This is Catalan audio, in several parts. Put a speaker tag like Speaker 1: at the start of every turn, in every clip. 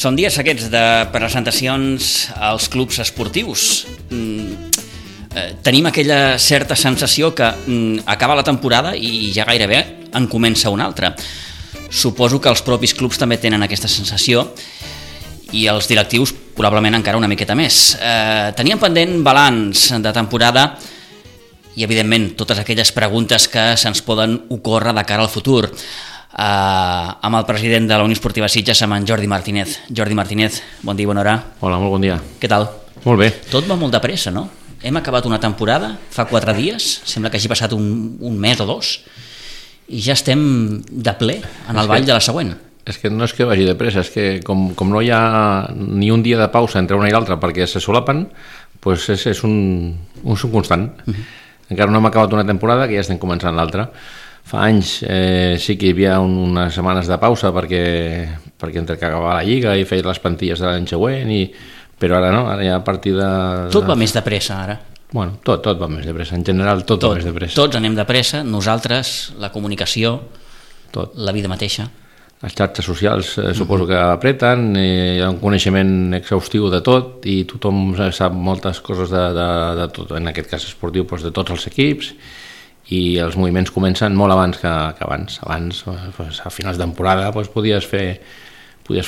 Speaker 1: Són dies aquests de presentacions als clubs esportius. Tenim aquella certa sensació que acaba la temporada i ja gairebé en comença una altra. Suposo que els propis clubs també tenen aquesta sensació i els directius probablement encara una miqueta més. Teníem pendent balanç de temporada i evidentment totes aquelles preguntes que se'ns poden ocórrer de cara al futur. Amb el president de la Unió Esportiva Sitges, amb en Jordi Martínez. Jordi Martínez, bon dia i bona hora.
Speaker 2: Hola, molt bon dia.
Speaker 1: Què tal?
Speaker 2: Molt bé.
Speaker 1: Tot va molt de pressa, no? Hem acabat una temporada fa 4 dies, sembla que hagi passat un mes o 2, i ja estem de ple en el ball de la següent.
Speaker 2: És que no és que vagi de pressa, és que com no hi ha ni un dia de pausa entre una i l'altra perquè se solapen, doncs és un constant. Encara no hem acabat una temporada que ja estem començant l'altra. Fa anys sí que hi havia unes setmanes de pausa perquè entre que acabava la Lliga i feia les plantilles de l'any següent, però ara no, ara ja a partir de...
Speaker 1: Tot va més de pressa ara.
Speaker 2: Bueno, tot va més de pressa, en general tot va més de pressa.
Speaker 1: Tots anem de pressa, nosaltres, la comunicació, la vida mateixa.
Speaker 2: Les xarxes socials suposo que apreten, hi ha un coneixement exhaustiu de tot i tothom sap moltes coses de tot, en aquest cas esportiu, de tots els equips, i els moviments comencen molt abans que abans. Abans, a finals de temporada, podies fer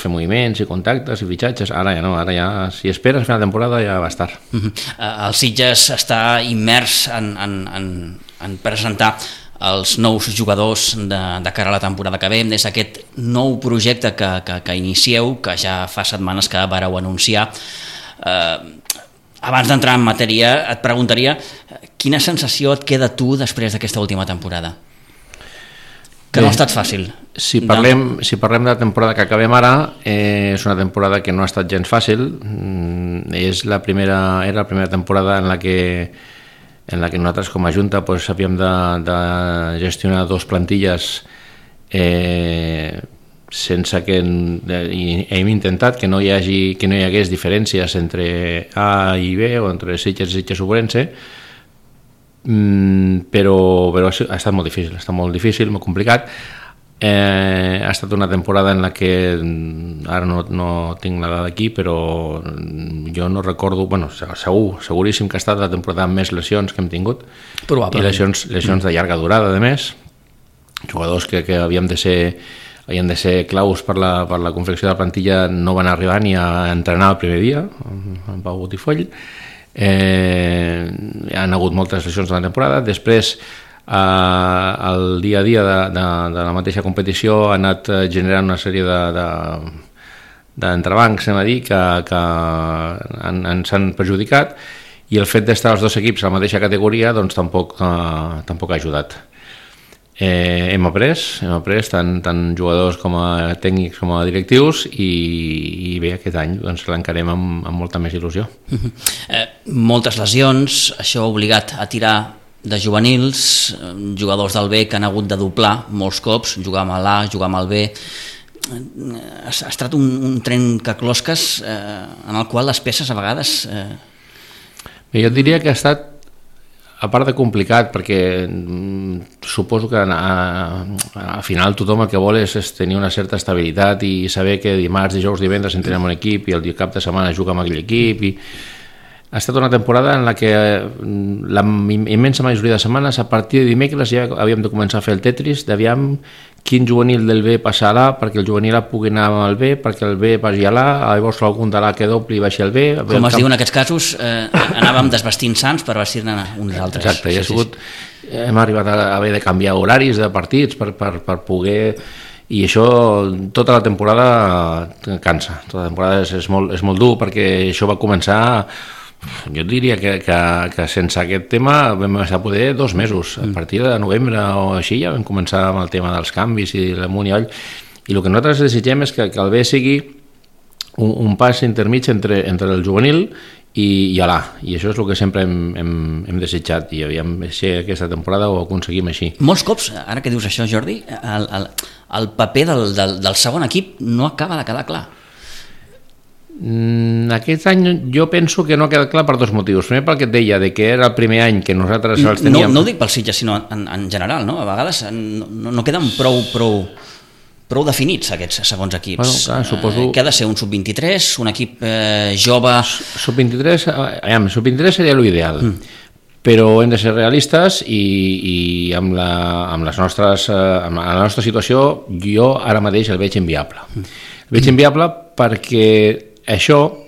Speaker 2: moviments i contactes i fitxatges. Ara ja no, ara ja, si esperes a final de temporada ja va estar.
Speaker 1: El Sitges està immers en presentar els nous jugadors de cara a la temporada que ve, des d'aquest nou projecte que inicieu, que ja fa setmanes que vareu anunciar. Abans d'entrar en matèria, et preguntaria quina sensació et queda tu després d'aquesta última temporada? Que no ha estat fàcil.
Speaker 2: Si parlem de la temporada que acabem ara, és una temporada que no ha estat gens fàcil. Era la primera temporada en la que nosaltres com a Junta havíem de gestionar 2 plantilles sense que hem intentat que no hi hagués diferències entre A i B o entre Sitges i Sitges Ourense, però ha estat molt difícil, molt complicat. Ha estat una temporada en la que ara no tinc la dada aquí, però jo no recordo, seguríssim que ha estat la temporada amb més lesions que hem tingut.
Speaker 1: Probablement.
Speaker 2: I lesions de llarga durada, a més, jugadors que havien de ser claus per la confecció de la plantilla no van arribar ni a entrenar el primer dia, en Pau Botifoll. Han hagut moltes lesions de la temporada. Després, el dia a dia de la mateixa competició ha anat generant una sèrie d'entrebancs, anem a dir, que ens han perjudicat, i el fet d'estar els 2 equips a la mateixa categoria doncs tampoc ha ajudat. Hem après tant jugadors com a tècnics com a directius, i bé, aquest any l'encarem amb molta més il·lusió.
Speaker 1: Moltes lesions, això ha obligat a tirar de juvenils, jugadors del B que han hagut de doblar molts cops, jugar amb l'A, jugar amb el B. Ha estat un trencaclosques en el qual les peces a vegades...
Speaker 2: Jo diria que ha estat, a part de complicat, perquè suposo que al final tothom el que vol és tenir una certa estabilitat i saber que dimarts, dijous, divendres entrenem un equip i el cap de setmana juga amb aquell equip. Ha estat una temporada en la que la immensa majoria de setmanes, a partir de dimecres, ja havíem de començar a fer el Tetris d'aviam quin juvenil del B passa a l'A perquè el juvenil A pugui anar al B, perquè el B vagi a l'A, llavors algun de l'A que dobli i baixi al B.
Speaker 1: Com es diu en aquests casos, anàvem desvestint sants per vestir-ne uns altres.
Speaker 2: Exacte, hem arribat a haver de canviar horaris de partits per poder... I això tota la temporada cansa, tota la temporada és molt dur, perquè això va començar... Jo diria que sense aquest tema vam estar poder 2 mesos. A partir de novembre o així ja vam començar amb el tema dels canvis i l'amunt i avall. I el que nosaltres desitgem és que el B sigui un pas intermig entre el juvenil i l'A. I això és el que sempre hem desitjat. I aviam, aquesta temporada ho aconseguim així.
Speaker 1: Molts cops, ara que dius això, Jordi, el paper del segon equip no acaba de quedar clar.
Speaker 2: Aquest any jo penso que no ha quedat clar per 2 motius. Primer, perquè et deia que era el primer any que nosaltres els teníem...
Speaker 1: No ho dic pel Sitges, sinó en general, no? A vegades no queden prou prou definits, aquests segons equips.
Speaker 2: Bueno, clar, suposo...
Speaker 1: Què ha de ser, un sub-23, un equip jove...
Speaker 2: Sub-23 seria l'ideal, però hem de ser realistes i amb la nostra situació jo ara mateix el veig inviable. El veig inviable perquè això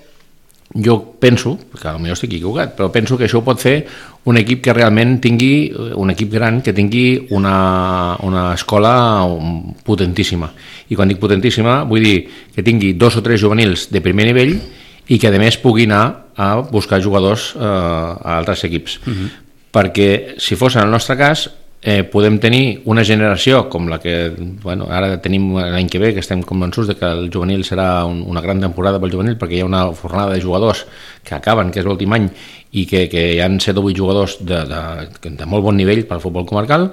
Speaker 2: jo penso, que potser estic equivocat, però penso que això ho pot fer un equip que realment tingui, un equip gran, que tingui una escola potentíssima. I quan dic potentíssima vull dir que tingui 2 o 3 juvenils de primer nivell i que a més pugui anar a buscar jugadors a altres equips. Perquè si fos en el nostre cas podem tenir una generació com la que ara tenim l'any que ve, que estem convençuts de que el juvenil serà una gran temporada pel juvenil, perquè hi ha una fornada de jugadors que acaben, que és l'últim any, i que hi han 7 o 8 jugadors de molt bon nivell pel futbol comarcal,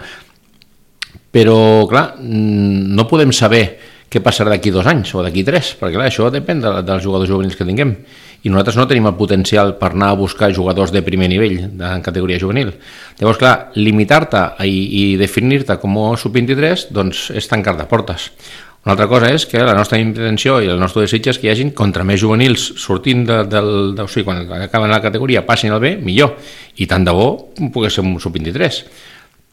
Speaker 2: però clar, no podem saber què passarà d'aquí 2 anys o d'aquí 3, perquè clar, això depèn dels jugadors juvenils que tinguem, i nosaltres no tenim el potencial per anar a buscar jugadors de primer nivell en categoria juvenil. Llavors, clar, limitar-te i definir-te com a sub-23 doncs és tancar-te portes. Una altra cosa és que la nostra intenció i el nostre desig és que hi hagin contra més juvenils sortint o sigui, quan acaben la categoria passin al B, millor, i tant de bo pogués ser un sub-23.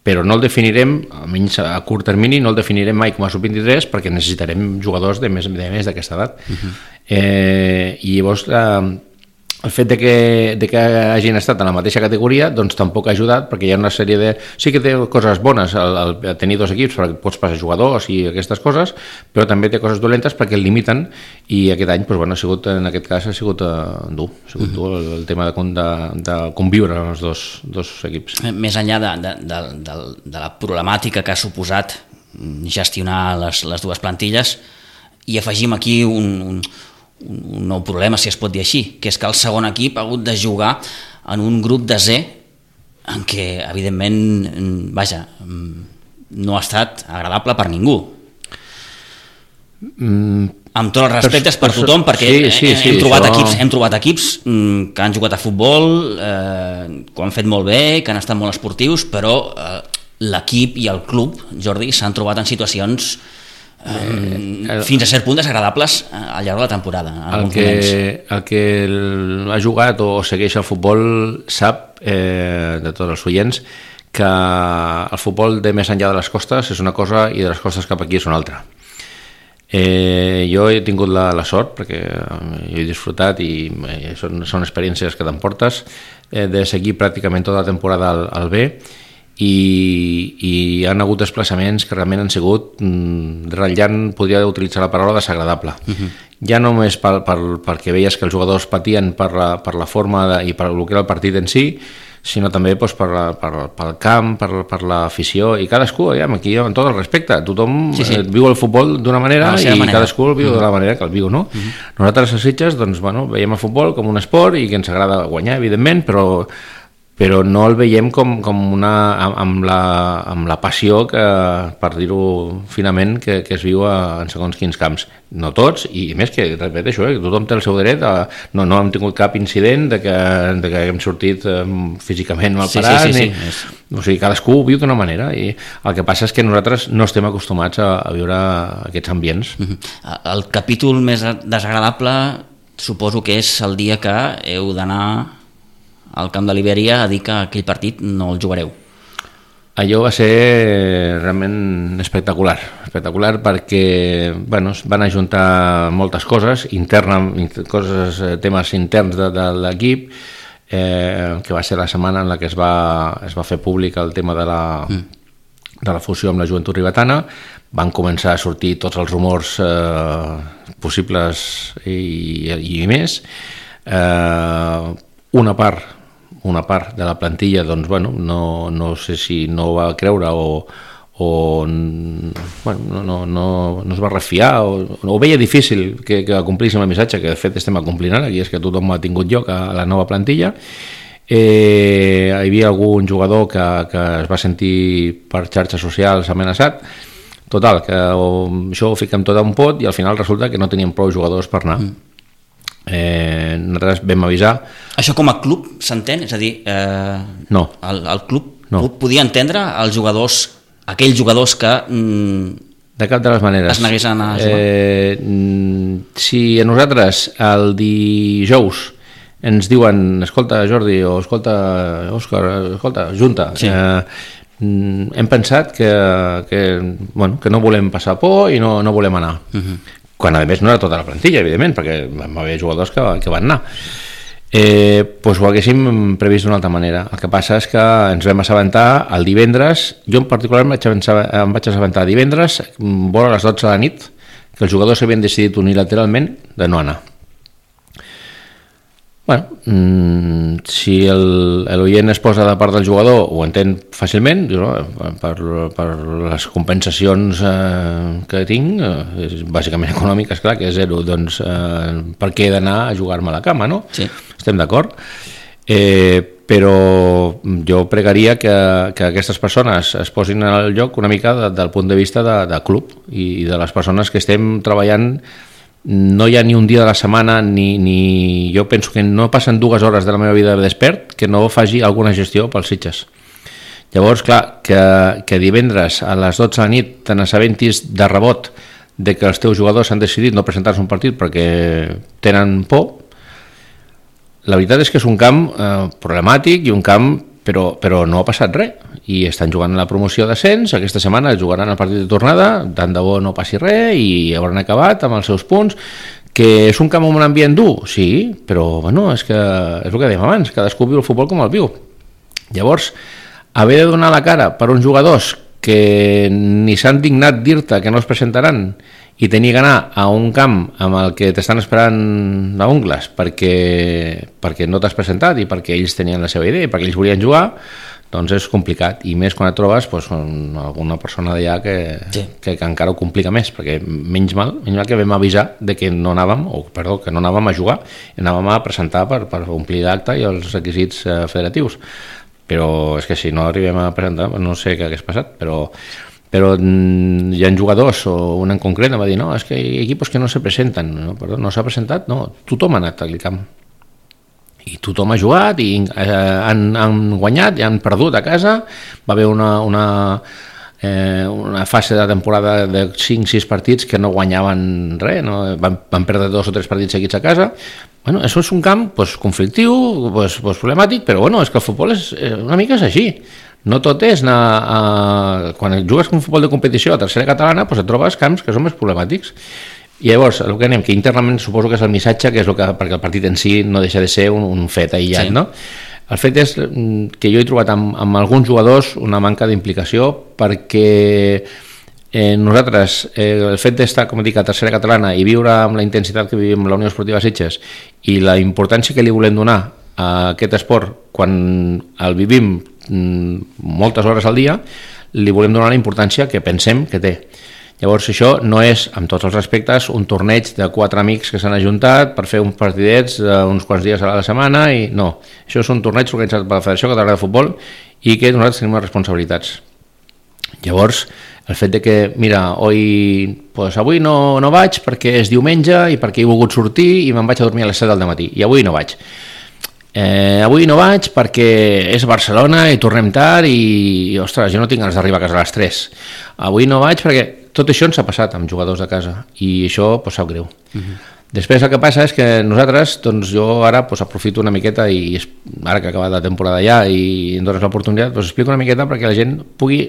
Speaker 2: Però no el definirem, almenys a curt termini, no el definirem mai com a sub-23 perquè necessitarem jugadors de més d'aquesta edat. I llavors el fet de que hagin estat en la mateixa categoria doncs tampoc ha ajudat, perquè hi ha una sèrie de... Sí que té coses bones el tenir 2 equips perquè pots passar jugadors i aquestes coses, però també té coses dolentes perquè el limiten, i aquest any ha sigut, en aquest cas ha sigut dur, el tema de conviure els dos equips.
Speaker 1: Més enllà de la problemàtica que ha suposat gestionar les dues plantilles, i afegim aquí un nou problema, si es pot dir així, que és que el segon equip ha hagut de jugar en un grup de Z en què, evidentment, no ha estat agradable per ningú. Amb tots els respectes per tothom, perquè hem trobat equips que han jugat a futbol, que ho han fet molt bé, que han estat molt esportius, però l'equip i el club, Jordi, s'han trobat en situacions fins a cert punt desagradables al llarg de la temporada.
Speaker 2: El que ha jugat o segueix el futbol sap, de tots els oients, que el futbol de més enllà de les costes és una cosa i de les costes cap aquí és una altra. Jo he tingut la sort, perquè jo he disfrutat i són experiències que t'emportes, de seguir pràcticament tota la temporada al B, i han hagut desplaçaments que realment han sigut ratllant, podria utilitzar la paraula desagradable. Ja no només perquè veies que els jugadors patien per la forma i per el que era el partit en si, sinó també pel camp, per l'afició, i cadascú, aquí amb tot el respecte, tothom viu el futbol d'una manera i cadascú el viu de la manera que el viu, no? Nosaltres a Sitges veiem el futbol com un esport i que ens agrada guanyar, evidentment, però no el veiem amb la passió que, per dir-ho finament, que es viu en segons quins camps. No tots, i més que, repeteixo, tothom té el seu dret, no hem tingut cap incident de que hem sortit físicament malparats, o sigui, cadascú ho viu d'una manera, i el que passa és que nosaltres no estem acostumats a viure aquests ambients.
Speaker 1: El capítol més desagradable suposo que és el dia que heu d'anar al camp de Liberia a dir que aquell partit no el jugareu.
Speaker 2: Allò va ser realment espectacular perquè van ajuntar moltes coses temes interns de l'equip, que va ser la setmana en la que es va fer públic el tema de la fusió amb la Joventut Ribetana. Van començar a sortir tots els rumors possibles i més. Una part de la plantilla no sé si no va creure o no es va refiar o veia difícil que complissin el missatge que de fet estem acomplint ara, i és que tothom ha tingut lloc a la nova plantilla. Hi havia algun jugador que es va sentir per xarxes socials amenaçat. Total, que això ho fiquem tot a un pot i al final resulta que no teníem prou jugadors per anar. Nosaltres vam avisar.
Speaker 1: Això com a club s'entén? És a dir,
Speaker 2: no.
Speaker 1: El club podia entendre aquells jugadors que
Speaker 2: De cap de les maneres.
Speaker 1: Es negués a anar a jugar?
Speaker 2: Si a nosaltres el dijous ens diuen, escolta Jordi, o escolta Òscar, escolta Junta, sí. Hem pensat que no volem passar por i no volem anar. Quan a més no era tota la plantilla, evidentment, perquè vam haver jugadors que van anar. Doncs ho haguéssim previst d'una altra manera. El que passa és que ens vam assabentar el divendres, jo en particular em vaig assabentar divendres vora les 12 de la nit que els jugadors havien decidit unilateralment de no anar. Bueno, si l'oient es posa de part del jugador ho entén fàcilment, per les compensacions que tinc, bàsicament econòmiques, clar, que és zero, doncs per què he d'anar a jugar-me a la cama, no? Sí. Estem d'acord? Però jo pregaria que aquestes persones es posin al lloc una mica del punt de vista de club i de les persones que estem treballant. No hi ha ni un dia de la setmana ni jo penso que no passen 2 hores de la meva vida despert que no faci alguna gestió pels Sitges. Llavors, clar, que divendres a les 12 de la nit te n'assabentis de rebot de que els teus jugadors han decidit no presentar-se a un partit perquè tenen por, la veritat és que és un camp problemàtic i un camp però no ha passat res i estan jugant a la promoció d'ascens, aquesta setmana jugaran el partit de tornada, tant de bo no passi res i hauran acabat amb els seus punts. Que és un camp amb un ambient dur? Sí, però bueno, és el que dèiem abans, cadascú viu el futbol com el viu. Llavors, haver de donar la cara per uns jugadors que ni s'han dignat dir-te que no es presentaran i tenir que anar a un camp amb el que t'estan esperant a ungles perquè no t'has presentat i perquè ells tenien la seva idea i perquè ells volien jugar, doncs és complicat, i més quan et trobes alguna persona d'allà que encara ho complica més, perquè menys mal que vam avisar de que no anàvem a jugar, anàvem a presentar per omplir l'acte i els requisits federatius, però és que si no arribem a presentar no sé què hagués passat, però hi ha jugadors, o un en concret em va dir, no, és que hi ha equipos que no se presenten. No, perdó, no s'ha presentat? No, tothom ha anat al camp i tothom ha jugat i han guanyat i han perdut a casa. Va haver una fase de temporada de 5-6 partits que no guanyaven res, no? Van perdre 2 o 3 partits seguits a casa. Bueno, això és un camp conflictiu, problemàtic, però bueno, és que el futbol una mica és així. No tot és anar quan jugues un futbol de competició a tercera catalana, et trobes camps que són més problemàtics. I llavors, el que anem, que internament suposo que és el missatge, que és perquè el partit en si no deixa de ser un fet aïllat, sí. No? El fet és que jo he trobat amb alguns jugadors una manca d'implicació perquè nosaltres, el fet d'estar, com dic, a tercera catalana i viure amb la intensitat que vivim la Unió Esportiva Sitges i la importància que li volem donar a aquest esport quan el vivim moltes hores al dia, li volem donar la importància que pensem que té. Llavors això no és, amb tots els respectes, un torneig de 4 amics que s'han ajuntat per fer uns partidets uns quants dies a la setmana, i no, això és un torneig organitzat per la Federació Catalana de Futbol i que nosaltres tenim les responsabilitats. Llavors, el fet de que, mira, avui no vaig perquè és diumenge i perquè he volgut sortir i me'n vaig a dormir a les 7 del matí i avui no vaig. Avui no vaig perquè és Barcelona i tornem tard i ostres, jo no tinc ganes d'arribar a casa a les 3. Avui no vaig perquè tot això ens ha passat amb jugadors de casa i això sap greu. Després el que passa és que nosaltres, doncs jo ara aprofito una miqueta i ara que ha acabat la temporada ja i em dones l'oportunitat, explico una miqueta perquè la gent pugui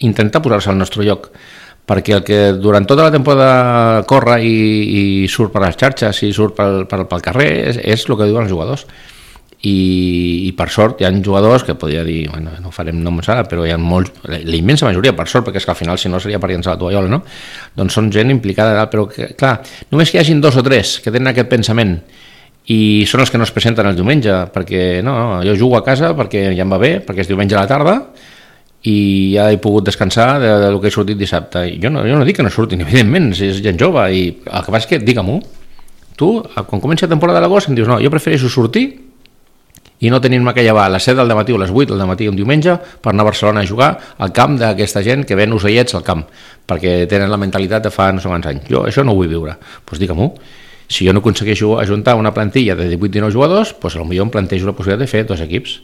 Speaker 2: intentar posar-se al nostre lloc, perquè el que durant tota la temporada corre i surt per les xarxes i surt pel carrer és el que diuen els jugadors. I per sort hi ha jugadors que podria dir, bueno, no farem noms ara, però hi ha molts, la immensa majoria, per sort, perquè és que al final si no seria per llençar la tovallola, no? Doncs són gent implicada, però que, clar, només que hi hagin 2 o 3 que tenen aquest pensament i són els que no es presenten el diumenge, perquè no, jo jugo a casa perquè ja em va bé, perquè és diumenge a la tarda i ja he pogut descansar del que he sortit dissabte. I jo no dic que no surtin, evidentment, si és gent jove, i el que passa és que, digue-m'ho, tu, quan comença la temporada de l'agost, em dius, no, jo prefereixo sortir i no tenim que llevar a les 7 del matí o a les 8 del matí un diumenge per anar a Barcelona a jugar al camp d'aquesta gent que ven ocellets al camp, perquè tenen la mentalitat de fa no sé quants anys. Jo això no ho vull viure. Doncs digue-m'ho. Si jo no aconsegueixo ajuntar una plantilla de 18-19 jugadors, doncs potser em plantejo la possibilitat de fer 2 equips.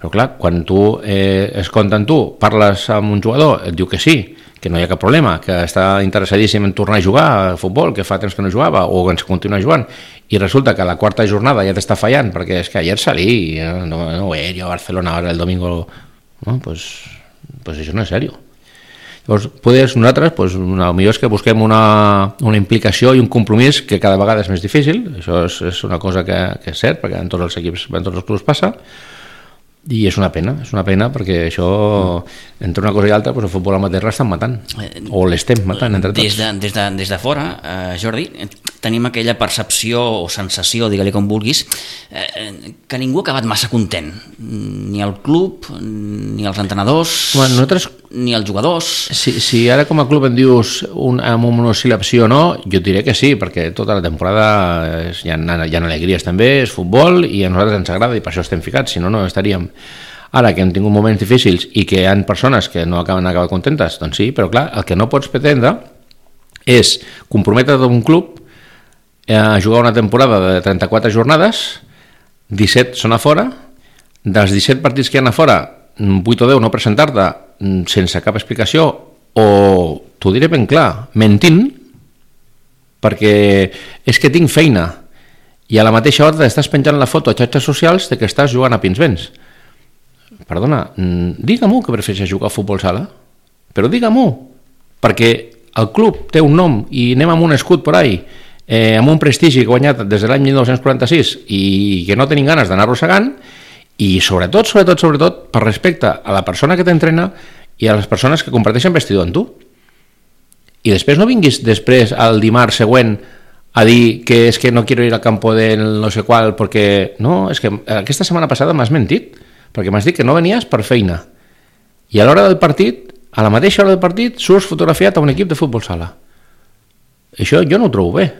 Speaker 2: Però clar, quan tu es compta amb tu, parles amb un jugador, et diu que sí, que no hi ha cap problema, que està interessadíssim en tornar a jugar a futbol, que fa temps que no jugava, o que ens continua jugant, i resulta que a la quarta jornada ja t'està fallant, perquè és que ayer salí, no voy a ir yo a Barcelona ahora el domingo, no, pues això no és seriós. Llavors, nosaltres, el millor és que busquem una implicació i un compromís que cada vegada és més difícil, això és una cosa que és cert, perquè en tots els equips, en tots els clubs passa, i és una pena perquè això, entre una cosa i altra, el futbol amateur l'estan matant, o l'estem matant entre tots.
Speaker 1: Des de fora, Jordi, tenim aquella percepció o sensació, digue-li com vulguis, que ningú ha acabat massa content, ni el club, ni els entrenadors, ni els jugadors.
Speaker 2: Si ara com a club em dius amb una oscil·lació o no, jo diré que sí, perquè tota la temporada hi ha alegries també, és futbol i a nosaltres ens agrada i per això estem ficats, si no, no estaríem. Ara que hem tingut moments difícils i que hi ha persones que no acaben contentes, doncs sí, però clar, el que no pots pretendre és comprometre't a un club a jugar una temporada de 34 jornades, 17 són a fora, dels 17 partits que hi ha a fora, 8 o 10 no presentar-te sense cap explicació, o t'ho diré ben clar, mentint, perquè és que tinc feina i a la mateixa hora estàs penjant la foto a xarxes socials de que estàs jugant a Pinsbens. Perdona, digue-m'ho que prefereixes jugar a futbol sala, però digue-m'ho, perquè el club té un nom i anem amb un escut por ahí, amb un prestigi guanyat des de l'any 1946 i que no tenim ganes d'anar arrossegant, i sobretot per respecte a la persona que t'entrena i a les persones que comparteixen vestidor amb tu. I després no vinguis després al dimarts següent a dir que és que no quiero ir al campo del no sé qual perquè... No, és que aquesta setmana passada m'has mentit, perquè m'has dit que no venies per feina. I a l'hora del partit, a la mateixa hora del partit, surts fotografiat a un equip de futbol sala. Això jo no ho trobo bé.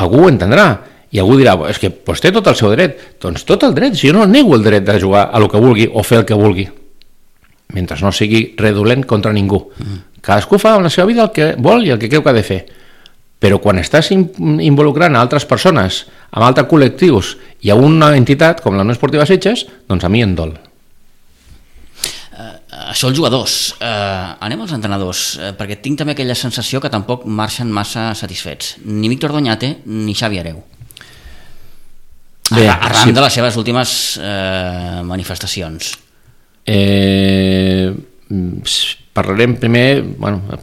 Speaker 2: Algú ho entendrà. I algú dirà, és que té tot el seu dret. Doncs tot el dret, si jo no nego el dret de jugar a lo que vulgui o fer el que vulgui, mentre no sigui redolent contra ningú. Cadascú fa amb la seva vida el que vol i el que creu que ha de fer. Però quan estàs involucrant a altres persones, amb altres col·lectius i a una entitat com la Unió Esportiva Sitges, doncs a mi em dol.
Speaker 1: Això els jugadors. Anem als entrenadors, perquè tinc també aquella sensació que tampoc marxen massa satisfets. Ni Víctor Doñate ni Xavi Hereu. Arran de les seves últimes manifestacions.
Speaker 2: Parlarem primer,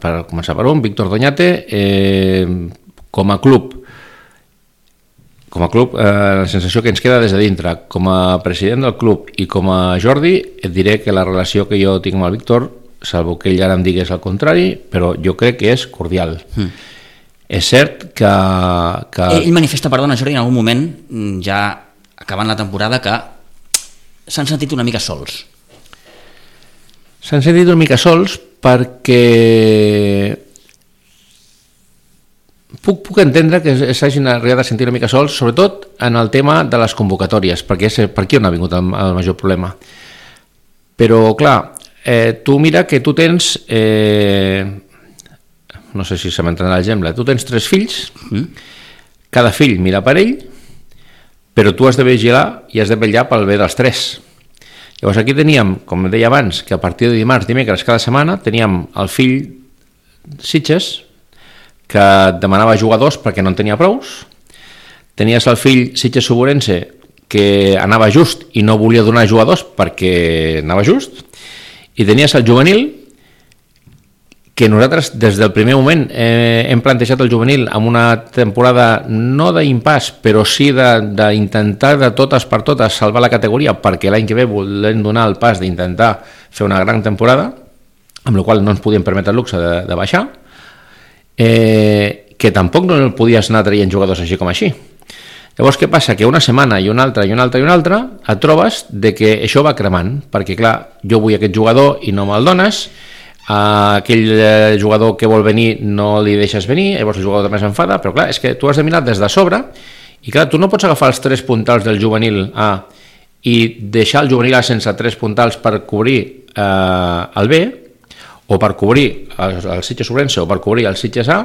Speaker 2: per començar per un, Víctor Doñate, com a club, la sensació que ens queda des de dintre, com a president del club i com a Jordi, et diré que la relació que jo tinc amb el Víctor, salvo que ell ara em digués el contrari, però jo crec que és cordial. És cert que...
Speaker 1: Ell manifesta, perdona Jordi, en algun moment, ja acabant la temporada, que s'han sentit una mica sols.
Speaker 2: S'han sentit una mica sols perquè puc entendre que s'hagin arribat a sentir una mica sols, sobretot en el tema de les convocatòries, perquè és per aquí on ha vingut el major problema. Però, clar, tu mira que tu tens, no sé si se m'entrarà l'exemple, tu tens 3 fills, cada fill mira per ell, però tu has de vigilar i has de vetllar pel bé dels 3. Llavors aquí teníem, com deia abans, que a partir de dimarts, dimecres, cada setmana, teníem el fill Sitges, que demanava jugadors perquè no en tenia prous, tenies el fill Sitges-Soborense, que anava just i no volia donar jugadors perquè anava just, i tenies el juvenil, que nosaltres des del primer moment hem plantejat el juvenil amb una temporada no d'impàs, però sí d'intentar de totes per totes salvar la categoria, perquè l'any que ve volem donar el pas d'intentar fer una gran temporada, amb la qual no ens podíem permetre el luxe de baixar, que tampoc no podies anar traient jugadors així com així. Llavors què passa? Que una setmana i una altra et trobes de que això va cremant, perquè clar, jo vull aquest jugador i no me'l dones, aquell jugador que vol venir no li deixes venir, llavors el jugador també s'enfada, però clar, és que tu has de mirar des de sobre i clar, tu no pots agafar els 3 puntals del juvenil A i deixar el juvenil A sense 3 puntals per cobrir el B o per cobrir el Sitges Ourense o per cobrir el Sitges A,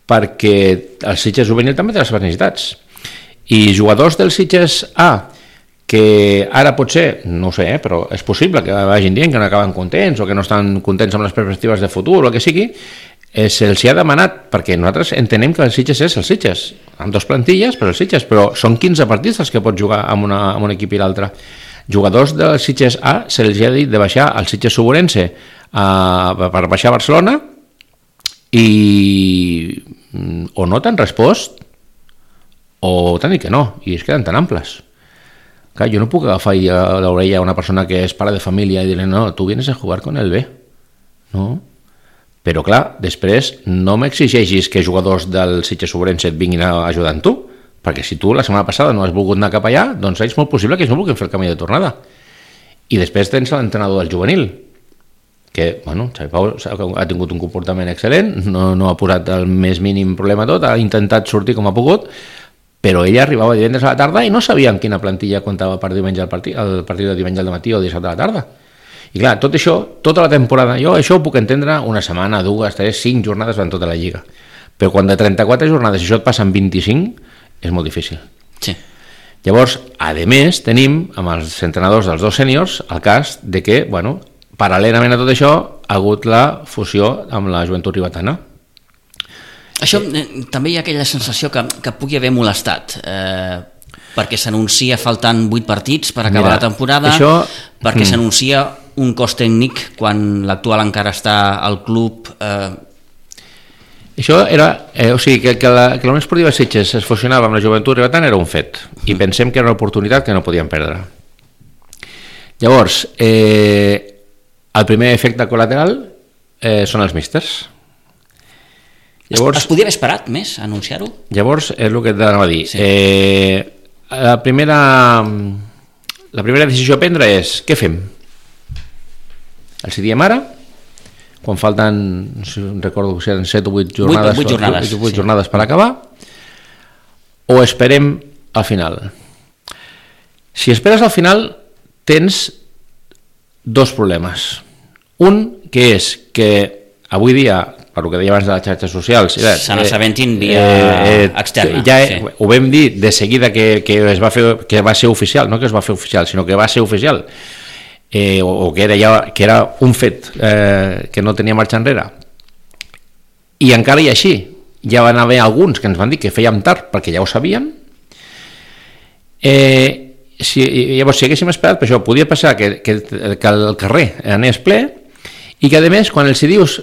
Speaker 2: perquè el Sitges juvenil també té les seves necessitats i jugadors del Sitges A que ara potser, no ho sé, però és possible que vagin dient que no acaben contents o que no estan contents amb les perspectives de futur o el que sigui, se'ls ha demanat, perquè nosaltres entenem que el Sitges és el Sitges, amb 2 plantilles, però el Sitges, però són 15 partits els que pots jugar amb un equip i l'altre. Jugadors del Sitges A se'ls ha dit de baixar al Sitges Suburense per baixar a Barcelona i o no t'han respost o t'han dit que no, i es queden tan amples. Clar, jo no puc agafar l'orella a una persona que és pare de família i dir-li, no, tu vienes a jugar con el B. No? Però clar, després no m'exigeixis que jugadors del Sitges Suburense et vinguin a ajudar amb tu, perquè si tu la setmana passada no has volgut anar cap allà, doncs és molt possible que ells no vulguin fer el camí de tornada. I després tens l'entrenador del juvenil, que, bueno, Xavi Pau ha tingut un comportament excel·lent, no ha posat el més mínim problema tot, ha intentat sortir com ha pogut, però ella arribava divendres a la tarda i no sabia en quina plantilla comptava per diumenge el partit de diumenge al matí o dissabte a la tarda. I clar, tot això, tota la temporada, jo això ho puc entendre una setmana, 2, 3, 5 jornades durant tota la Lliga. Però quan de 34 jornades això et passa en 25, és molt difícil.
Speaker 1: Sí.
Speaker 2: Llavors, a més, tenim, amb els entrenadors dels 2 sèniors, el cas de que, bueno, paral·lelament a tot això, ha hagut la fusió amb la Joventut Ribetana.
Speaker 1: Això també hi ha aquella sensació que pugui haver molestat, perquè s'anuncia faltant 8 partits per acabar la temporada, perquè s'anuncia un cos tècnic quan l'actual encara està al club.
Speaker 2: Això era, o sigui, que la Unió Esportiva Sitges es fusionava amb la Joventut Ribetana era un fet, i pensem que era una oportunitat que no podíem perdre. Llavors, el primer efecte col·lateral són els místers.
Speaker 1: Llavors, es podia haver esperat més a anunciar-ho?
Speaker 2: Llavors, és el que t'anava a dir. Sí. La primera decisió a prendre és què fem? Els diem ara, quan falten, no sé, recordo que eren 7 o 8 jornades, 8 jornades per acabar, o esperem al final? Si esperes al final, tens 2 problemes. Un, que és que avui dia, per el que deia abans de les xarxes socials,
Speaker 1: se n'assabentin via externa.
Speaker 2: Ja ho vam dir de seguida que va ser oficial, no que es va fer oficial, sinó que va ser oficial, o que era un fet que no tenia marxa enrere. I encara i així, ja van haver alguns que ens van dir que fèiem tard perquè ja ho sabien. Llavors, si haguéssim esperat, per això podia passar que el carrer anés ple, i que a més, quan els dius,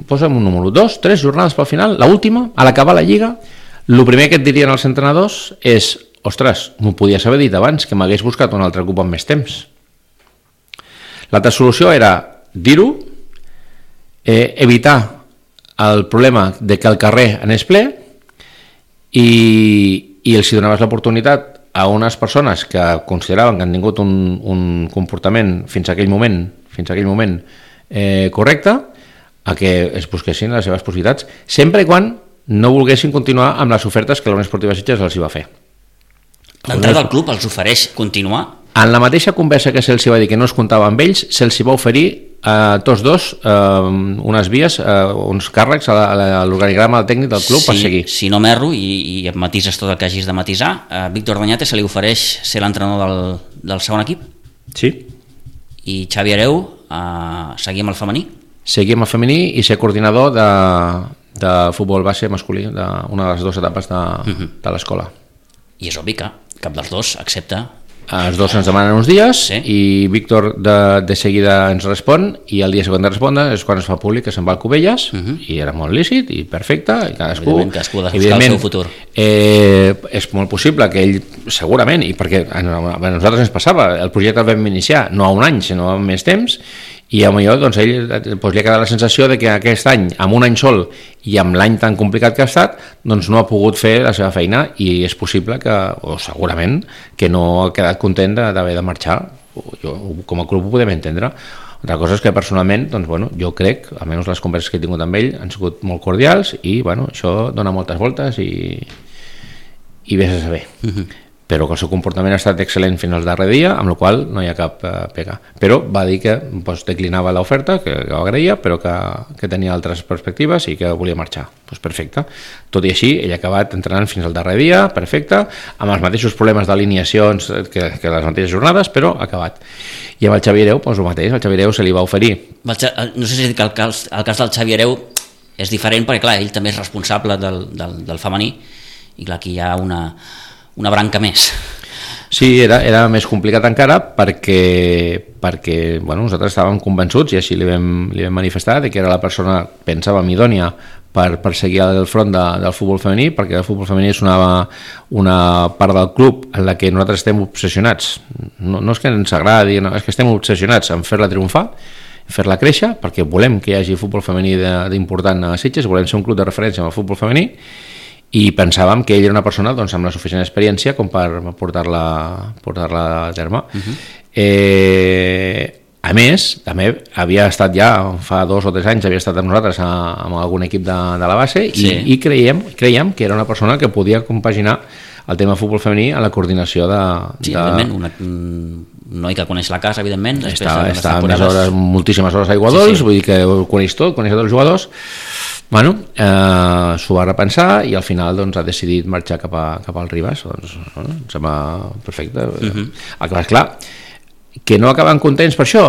Speaker 2: posa'm un número, 2, 3 jornades pel final, l'última, a l'acabar la Lliga, el primer que et dirien els entrenadors és, ostres, m'ho podies haver dit abans, que m'hagués buscat un altre club amb més temps. L'altra solució era dir-ho, evitar el problema de que el carrer anés ple i els donaves l'oportunitat a unes persones que consideraven que han tingut un comportament fins a aquell moment correcte, a que es busquessin les seves possibilitats, sempre i quan no volguessin continuar amb les ofertes que la Unió Esportiva Sitges els va fer.
Speaker 1: L'entrada del club els ofereix continuar?
Speaker 2: En la mateixa conversa que se'ls va dir que no es comptava amb ells, se'ls va oferir a tots dos unes vies, uns càrrecs a l'organigrama tècnic del club per seguir.
Speaker 1: Si no m'erro, i em matises tot el que hagis de matisar, a Víctor Doñate se li ofereix ser l'entrenador del segon equip?
Speaker 2: Sí.
Speaker 1: I Xavi Hereu seguir amb el femení?
Speaker 2: Seguir amb el femení i ser coordinador de futbol base masculí, d'una de les 2 etapes de l'escola.
Speaker 1: I és obvi que cap dels dos accepta.
Speaker 2: Els dos ens demanen uns dies, sí. I Víctor de seguida ens respon, i el dia següent de respondre és quan es fa públic que se'n va al Cubelles, i era molt lícit i perfecte, i cadascú
Speaker 1: de buscar el seu futur.
Speaker 2: És molt possible que ell, segurament, i perquè a nosaltres ens passava, el projecte el vam iniciar no a un any, sinó a més temps, i potser doncs, ell li ha quedat la sensació de que aquest any, amb un any sol i amb l'any tan complicat que ha estat, doncs no ha pogut fer la seva feina, i és possible que, o segurament, que no ha quedat content d'haver de marxar. Jo, com a club ho podem entendre. Altra cosa és que personalment, doncs, bueno, jo crec, almenys les converses que he tingut amb ell han sigut molt cordials, i bueno, això dona moltes voltes i vés a saber. però que el seu comportament ha estat excel·lent fins al darrer dia, amb la qual no hi ha cap pega. Però va dir que declinava l'oferta, que ho agraïa, però que tenia altres perspectives i que volia marxar. Doncs perfecte. Tot i així, ell ha acabat entrenant fins al darrer dia, perfecte, amb els mateixos problemes d'alineacions que les mateixes jornades, però ha acabat. I amb el Xavi Hereu, doncs el mateix, el Xavi Hereu se li va oferir.
Speaker 1: No sé si el cas del Xavi Hereu és diferent, perquè clar, ell també és responsable del femení, i clar, aquí hi ha una branca més.
Speaker 2: Sí, era més complicat encara perquè nosaltres estàvem convençuts, i així li vam manifestar, de que era la persona, pensàvem, idònia per seguir al front del futbol femení, perquè el futbol femení és una part del club en la que nosaltres estem obsessionats. No és que ens agradi, no, és que estem obsessionats en fer-la triomfar, fer-la créixer, perquè volem que hi hagi futbol femení d'important a Sitges, volem ser un club de referència en el futbol femení, i pensàvem que ell era una persona doncs, amb la suficient experiència com per portar-la a terme. A més, també havia estat ja fa 2 o 3 anys, havia estat amb nosaltres amb algun equip de la base, sí. i creiem que era una persona que podia compaginar el tema futbol femení a la coordinació
Speaker 1: Sí, evidentment, un noi que coneix la casa, evidentment.
Speaker 2: Està moltíssimes hores a Iguadols, vull dir que ho coneix tot, coneix tots els jugadors. S'ho va repensar i al final doncs, ha decidit marxar cap al Ribas. Doncs, em sembla perfecte. El que va, esclar, que no acaben contents per això,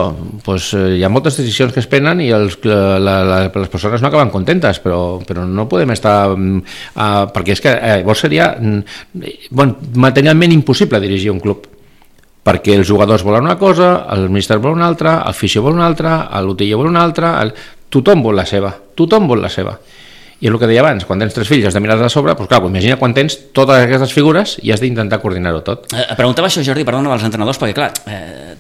Speaker 2: doncs, hi ha moltes decisions que es prenen i les persones no acaben contentes, però no podem estar perquè és que llavors seria materialment impossible dirigir un club, perquè els jugadors volen una cosa, el míster vol una altra, el fisio vol una altra, l'utiller vol una altra, tothom vol la seva. I és el que deia abans, quan tens 3 fills has de mirar de sobre, doncs clar, imagina quan tens totes aquestes figures i has d'intentar coordinar-ho tot.
Speaker 1: Preguntava això, Jordi, perdona, als entrenadors, perquè clar,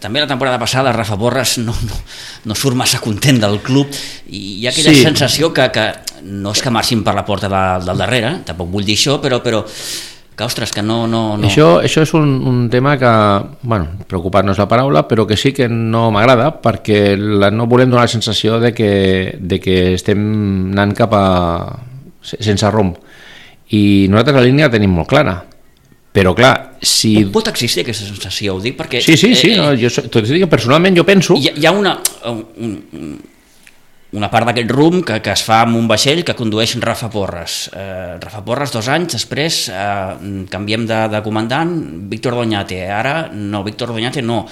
Speaker 1: també la temporada passada Rafa Porras no surt massa content del club i hi ha aquella sensació que no és que marxin per la porta del darrere, tampoc vull dir això, però que, ostres, que no...
Speaker 2: Això és un tema que, preocupat no és la paraula, però que sí que no m'agrada, perquè no volem donar la sensació de que estem anant sense rumb. I nosaltres la línia la tenim molt clara. Però clar, si...
Speaker 1: Pot existir aquesta sensació, ho dic, perquè...
Speaker 2: Sí, tot i que personalment jo penso...
Speaker 1: Hi ha una part d'aquest rumb que es fa amb un vaixell que condueix Rafa Porras. Rafa Porras 2 anys, després canviem de comandant, Víctor Doñate. Ara no, Víctor Doñate no.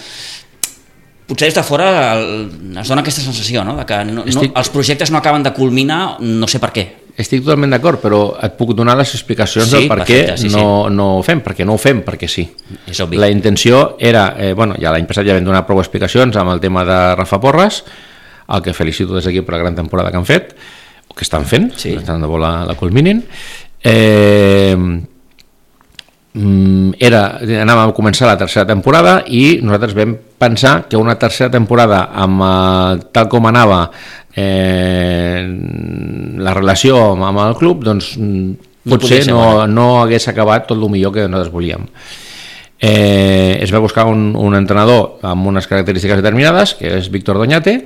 Speaker 1: Potser des de fora es dona aquesta sensació, no? De que els projectes no acaben de culminar, no sé per què.
Speaker 2: Estic totalment d'acord, però et puc donar les explicacions del per què no ho fem, perquè no ho fem, perquè sí.
Speaker 1: És obvi.
Speaker 2: La intenció era, ja l'any passat ja vam donar prou explicacions amb el tema de Rafa Porras, el que felicito des d'aquí per la gran temporada que han fet, o que estan fent, tant de bo la culminin. Anàvem a començar la tercera temporada i nosaltres vam pensar que una tercera temporada amb tal com anava la relació amb el club, doncs potser no hagués acabat tot el millor que nosaltres volíem. Es va buscar un entrenador amb unes característiques determinades, que és Víctor Doñate,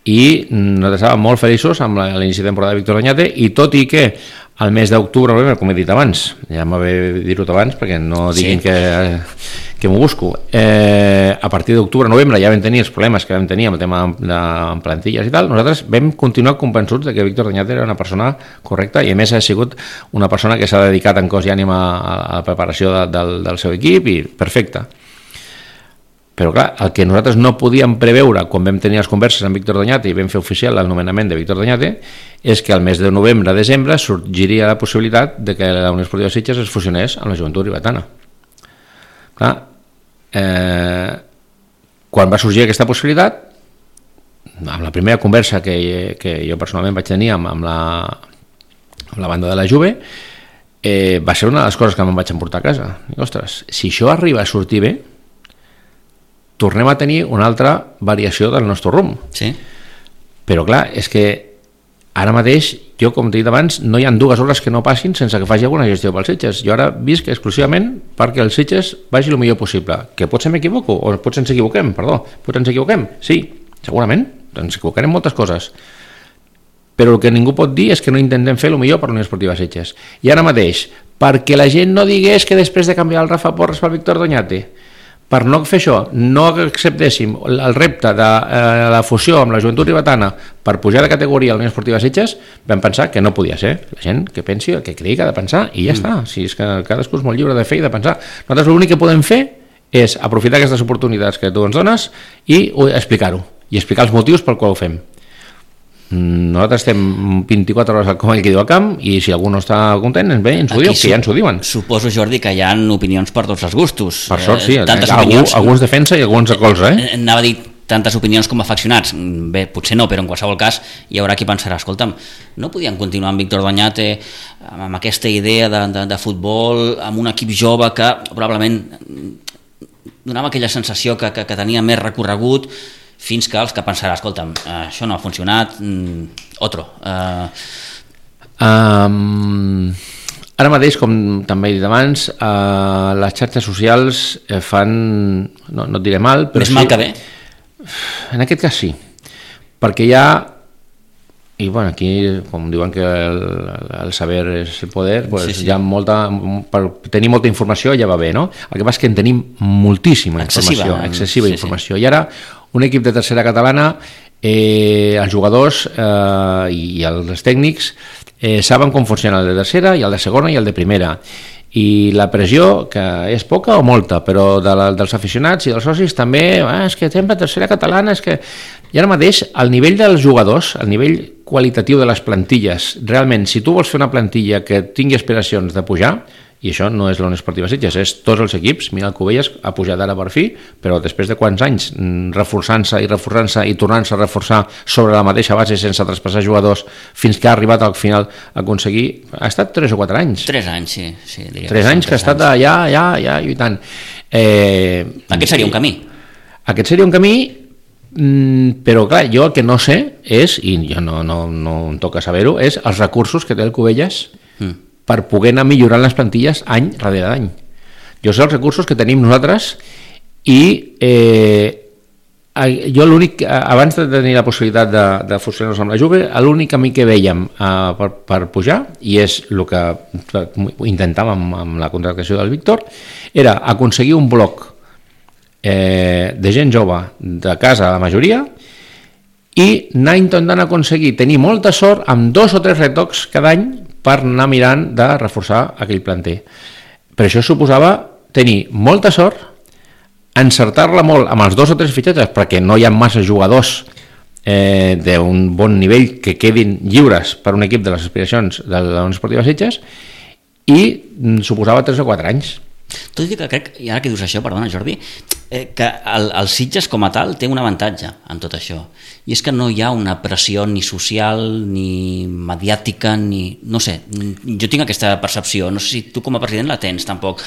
Speaker 2: i nosaltres estàvem molt feliços amb l'inici de temporada de Víctor Doñate, i tot i que al mes d'octubre, com he dit abans, ja m'ha bé dir-ho abans perquè no diguin que m'ho busco, a partir d'octubre, novembre ja vam tenir els problemes que vam tenir amb el tema de plantilles i tal, nosaltres vam continuar convençuts de que Víctor Doñate era una persona correcta i a més ha sigut una persona que s'ha dedicat en cos i ànima a la preparació del seu equip i perfecte. Però clar, el que nosaltres no podíem preveure quan vam tenir les converses amb Víctor Doñate i vam fer oficial el nomenament de Víctor Doñate és que al mes de novembre-desembre sorgiria la possibilitat de que la Unió Esportiva Sitges es fusionés amb la Joventut Ribetana. Clar, quan va sorgir aquesta possibilitat, amb la primera conversa que jo personalment vaig tenir amb la banda de la Juve, va ser una de les coses que me'n vaig emportar a casa. I, ostres, si això arriba a sortir bé, tornem a tenir una altra variació del nostre rumb.
Speaker 1: Sí.
Speaker 2: Però clar, és que ara mateix, jo com t'he dit abans, no hi ha 2 hores que no passin sense que faci alguna gestió pels Sitges. Jo ara visc exclusivament perquè els Sitges vagi el millor possible. Que potser m'equivoco, o potser ens equivoquem, potser ens equivoquem, sí, segurament, ens equivocarem moltes coses. Però el que ningú pot dir és que no intentem fer el millor per la Unió Esportiva Sitges. I ara mateix, perquè la gent no digués que després de canviar el Rafa Porres pel Víctor Doñate, per no fer això, no acceptéssim el repte de la fusió amb la Joventut Ribetana per pujar de categoria a la Unió Esportiva Sitges, vam pensar que no podia ser. La gent que pensi el que cregui que ha de pensar i ja està. Si és que cadascú és molt lliure de fer i de pensar. Nosaltres l'únic que podem fer és aprofitar aquestes oportunitats que tu ens dones i explicar-ho, i explicar els motius pel qual ho fem. Nosaltres estem 24 hores com ell que diu al camp, i si algú no està content ens ho diu, que ja ens ho diuen.
Speaker 1: Suposo, Jordi, que hi ha opinions per tots els gustos.
Speaker 2: Per sort sí, algú es defensa i algú ens recolza.
Speaker 1: Anava a dir tantes opinions com afeccionats, bé, potser no, però en qualsevol cas hi haurà qui pensarà, escolta'm, no podien continuar amb Víctor Doñate amb aquesta idea de futbol, amb un equip jove que probablement donava aquella sensació que tenia més recorregut, fins que els que pensarà, escolta'm, això no ha funcionat, otro.
Speaker 2: Ara mateix, com també he dit abans, les xarxes socials fan, no et diré mal, però
Speaker 1: més mal que bé?
Speaker 2: En aquest cas sí, perquè hi ha, i bueno, aquí com diuen que el saber és el poder, pues sí. Hi ha per tenir molta informació ja va bé, no? El que passa és que en tenim moltíssima informació, excessiva informació, i ara un equip de tercera catalana, els jugadors i els tècnics saben com funciona el de tercera i el de segona i el de primera, i la pressió, que és poca o molta, però dels aficionats i dels socis també, és que estem a tercera catalana, és que... I ara mateix, el nivell dels jugadors, el nivell qualitatiu de les plantilles, realment, si tu vols fer una plantilla que tingui aspiracions de pujar, i això no és la Unió Esportiva Sitges, és tots els equips. Mira, el Cubelles ha pujat ara per fi, però després de quants anys reforçant-se i tornant-se a reforçar sobre la mateixa base sense traspassar jugadors fins que ha arribat al final a aconseguir... Ha estat 3 o 4 anys.
Speaker 1: 3 anys, sí.
Speaker 2: 3 anys que ha estat allà lluitant.
Speaker 1: Aquest seria un camí.
Speaker 2: Aquest seria un camí, però clar, jo el que no sé és, i jo no em toca saber-ho, és els recursos que té el Cubelles per poder anar millorant les plantilles any darrere d'any. Jo sé els recursos que tenim nosaltres i jo l'únic, abans de tenir la possibilitat de fusionar-nos amb la Juve, l'únic camí que vèiem per pujar, i és el que intentàvem amb la contractació del Víctor, era aconseguir un bloc de gent jove de casa, la majoria, i anar intentant aconseguir tenir molta sort amb 2 o 3 retocs cada any per anar mirant de reforçar aquell planter. Per això suposava tenir molta sort, encertar-la molt amb els 2 o 3 fitxatges, perquè no hi ha massa jugadors d'un bon nivell que quedin lliures per un equip de les aspiracions de la Unió Esportiva Sitges, i suposava 3 o 4 anys.
Speaker 1: Tot i que crec, i ara que dius això, perdona Jordi, que el Sitges com a tal té un avantatge en tot això, i és que no hi ha una pressió ni social ni mediàtica, ni... no sé, jo tinc aquesta percepció, no sé si tu com a president la tens tampoc.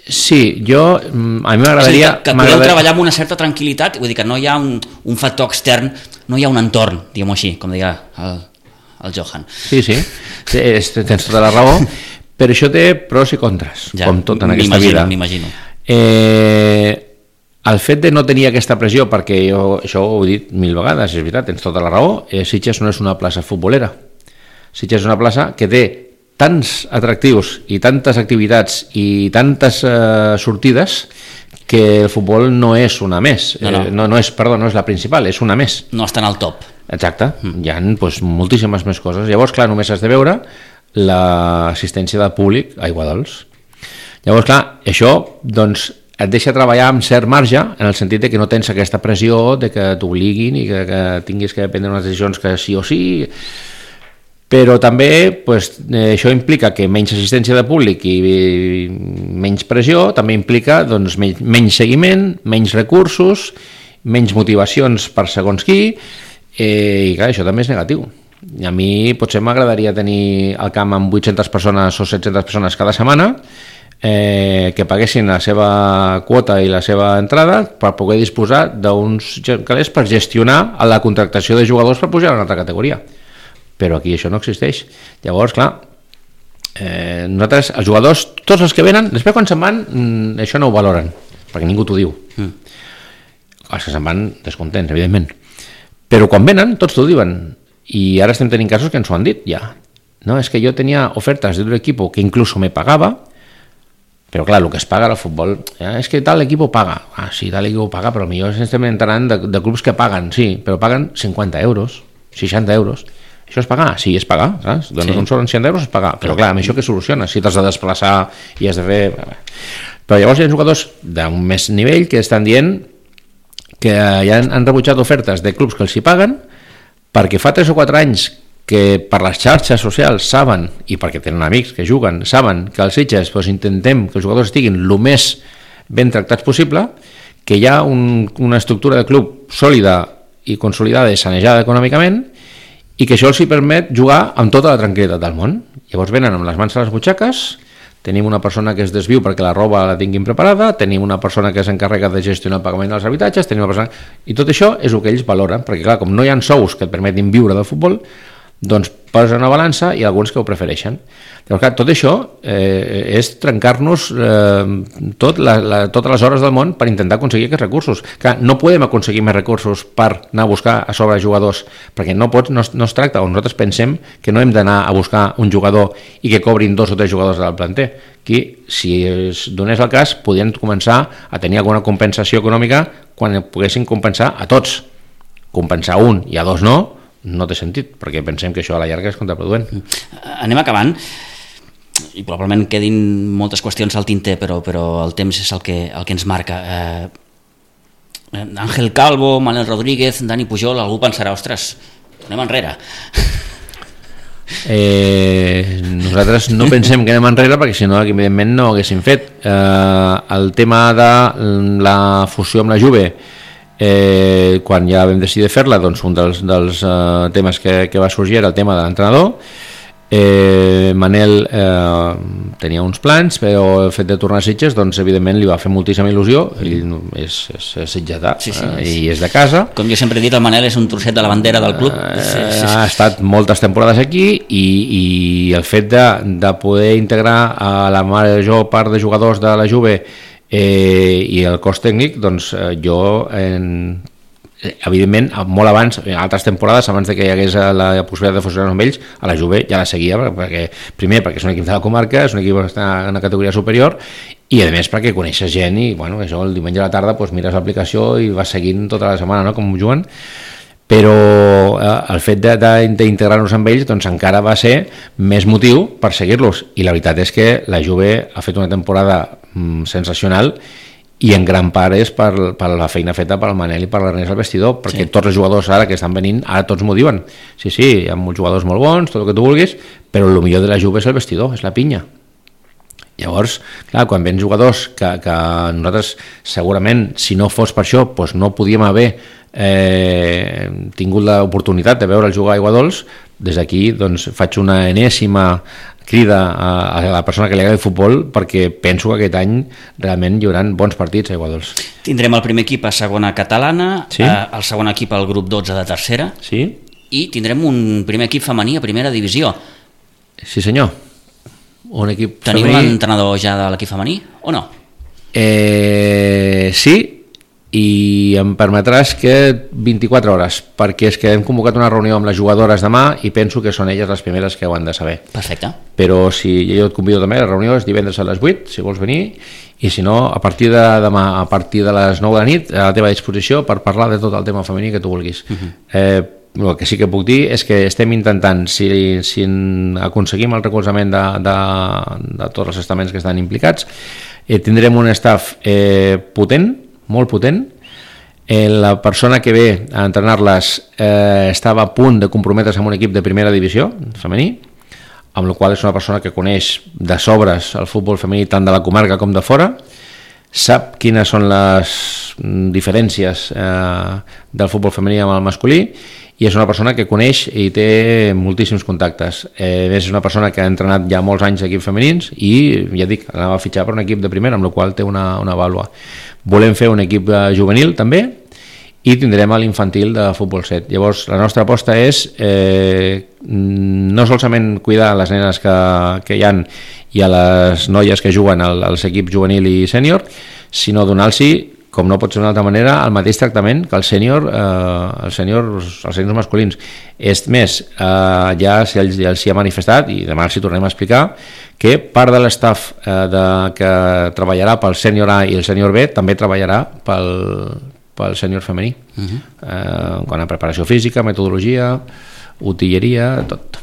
Speaker 2: Sí, a mi m'agradaria...
Speaker 1: Que podeu treballar amb una certa tranquil·litat, vull dir que no hi ha un factor extern, no hi ha un entorn, diguem-ho així, com deia el Johan.
Speaker 2: Sí, tens tota la raó, però això té pros i contres, ja, com tot en aquesta vida.
Speaker 1: M'imagino.
Speaker 2: El fet de no tenir aquesta pressió, perquè jo això ho he dit 1000 vegades, és veritat, tens tota la raó, Sitges no és una plaça futbolera. Sitges és una plaça que té tants atractius i tantes activitats i tantes sortides que el futbol no és una més. No és la principal, és una més.
Speaker 1: No està en el top.
Speaker 2: Exacte, hi ha moltíssimes més coses. Llavors, clar, només has de veure l'assistència del públic a Iguadols. Llavors, clar, això doncs et deixa treballar amb cert marge, en el sentit de que no tens aquesta pressió de que t'obliguin i que tinguis que prendre unes decisions que sí o sí, però també això implica que menys assistència de públic i menys pressió, també implica menys seguiment, menys recursos, menys motivacions per segons qui, i clar, això també és negatiu. A mi potser m'agradaria tenir el camp amb 800 persones o 700 persones cada setmana, que paguessin la seva quota i la seva entrada per poder disposar d'uns calés per gestionar la contractació de jugadors per pujar a una altra categoria, però aquí això no existeix. Llavors, clar, nosaltres, els jugadors, tots els que venen, després quan se'n van això no ho valoren, perquè ningú t'ho diu. Els que se'n van descontents, evidentment, però quan venen tots t'ho diuen, i ara estem tenint casos que ens ho han dit ja. no, es que yo tenía ofertas de otro equipo que incluso me pagaba, pero clar, el que es paga al futbol, és que tal equipo paga. Sí, tal equipo paga, però millor estem entrant de clubs que paguen, sí, però paguen 50 euros, 60 euros. Això és pagar? Sí, és pagar. Saps? Dones un sou en 100 euros és pagar. Però clar, amb això què soluciona? Si t'has de desplaçar i has de fer... Però llavors hi ha jugadors d'un més nivell que estan dient que ja han rebutjat ofertes de clubs que els hi paguen perquè fa 3 o 4 anys que per les xarxes socials saben, i perquè tenen amics que juguen, saben que als Sitges intentem que els jugadors estiguin el més ben tractats possible, que hi ha una estructura de club sòlida i consolidada i sanejada econòmicament, i que això els hi permet jugar amb tota la tranquil·litat del món. Llavors venen amb les mans a les butxaques, tenim una persona que es desviu perquè la roba la tinguin preparada, tenim una persona que s'encarrega de gestionar el pagament dels habitatges, tenim una persona... I tot això és el que ells valoren, perquè clar, com no hi ha sous que et permetin viure del futbol, doncs posa una balança i alguns que ho prefereixen. Llavors, clar, tot això és trencar-nos totes les hores del món per intentar aconseguir aquests recursos. Clar, no podem aconseguir més recursos per anar a buscar a sobre jugadors, perquè no es tracta, o nosaltres pensem que no hem d'anar a buscar un jugador i que cobrin 2 o 3 jugadors del planter. Aquí, si es donés el cas, podien començar a tenir alguna compensació econòmica quan poguessin compensar a tots. Compensar un i a 2 no té sentit, perquè pensem que això a la llarga és contraproduent.
Speaker 1: Anem acabant, i probablement quedin moltes qüestions al tinter, però el temps és el que ens marca. Ángel Calvo, Manel Rodríguez, Dani Pujol, algú pensarà, ostres, anem enrere.
Speaker 2: Nosaltres no pensem que anem enrere, perquè si no, evidentment no ho haguéssim fet. El tema de la fusió amb la Juve, quan ja vam decidir fer-la, doncs un dels temes que va sorgir era el tema de l'entrenador. Manel tenia uns plans, però el fet de tornar a Sitges, doncs evidentment li va fer moltíssima il·lusió. Ell és sitgetà, i és de casa.
Speaker 1: Com jo sempre he dit, el Manel és un trosset de la bandera del club.
Speaker 2: Ha estat moltes temporades aquí, i el fet de poder integrar a la major part de jugadors de la Juve i el cos tècnic, doncs jo evidentment molt abans, en altres temporades, abans de que hi hagués la possibilitat de fusionar amb ells, a la Juve ja la seguia, perquè és un equip de la comarca, és un equip que està en una categoria superior, i a més perquè coneixes gent, i bueno, això el diumenge a la tarda doncs mires l'aplicació i vas seguint tota la setmana, no?, com juguen. Però el fet d'integrar-nos amb ells doncs encara va ser més motiu per seguir-los, i la veritat és que la Juve ha fet una temporada sensacional, i en gran part és per la feina feta pel Manel i per l'Ernest al vestidor, perquè tots els jugadors ara que estan venint, ara tots m'ho diuen, sí, hi ha molts jugadors molt bons, tot el que tu vulguis, però el millor de la Juve és el vestidor, és la pinya. Llavors, clar, quan venen jugadors que nosaltres segurament, si no fos per això, doncs no podíem haver tingut l'oportunitat de veure el jugar a Aiguadols, des d'aquí doncs faig una enèsima crida a la persona que li agrada el futbol, perquè penso que aquest any realment hi haurà bons partits a Aiguadols.
Speaker 1: Tindrem el primer equip a segona catalana, el segon equip al grup 12 de tercera, i tindrem un primer equip femení a primera divisió.
Speaker 2: Sí senyor, un equip
Speaker 1: femení. Tenim l'entrenador ja de l'equip femení o no?
Speaker 2: Sí, i em permetràs que 24 hores, perquè és que hem convocat una reunió amb les jugadores demà i penso que són elles les primeres que ho han de saber.
Speaker 1: Perfecte.
Speaker 2: Però si jo et convido també, la reunió és divendres a les 8, si vols venir, i si no, a partir de demà, a partir de les 9 de la nit, a la teva disposició per parlar de tot el tema femení que tu vulguis. El que sí que puc dir és que estem intentant, si aconseguim el recolzament de tots els estaments que estan implicats, tindrem un staff potent, molt potent. La persona que ve a entrenar-les estava a punt de comprometre's amb un equip de primera divisió femení, amb la qual és una persona que coneix de sobres el futbol femení tant de la comarca com de fora, sap quines són les diferències del futbol femení amb el masculí, i és una persona que coneix i té moltíssims contactes. És una persona que ha entrenat ja molts anys equips femenins i, ja dic, anava a fitxar per un equip de primera, amb la qual té una vàlua. Volem fer un equip juvenil també, i tindrem l'infantil de futbol 7. Llavors, la nostra aposta és no solament cuidar les nenes que hi ha i a les noies que juguen als equips juvenil i sènior, sinó donar-los com no pot ser d'una altra manera, el mateix tractament que els sèniors masculins. És més, ja els hi ha manifestat, i demà els hi tornem a explicar, que part de l'estaf que treballarà pel sènior A i el sènior B també treballarà pel sènior femení. Quant a preparació física, metodologia, utilleria, tot.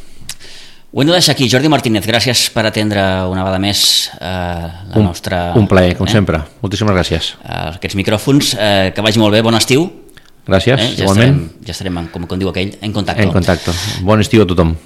Speaker 1: Ho hem de deixar aquí. Jordi Martínez, gràcies per atendre una vegada més la nostra...
Speaker 2: Un plaer, com sempre. Moltíssimes gràcies.
Speaker 1: Aquests micròfons, que vagi molt bé, bon estiu.
Speaker 2: Gràcies, igualment.
Speaker 1: Ja estarem, com diu aquell, en contacte.
Speaker 2: En contacte. Bon estiu a tothom.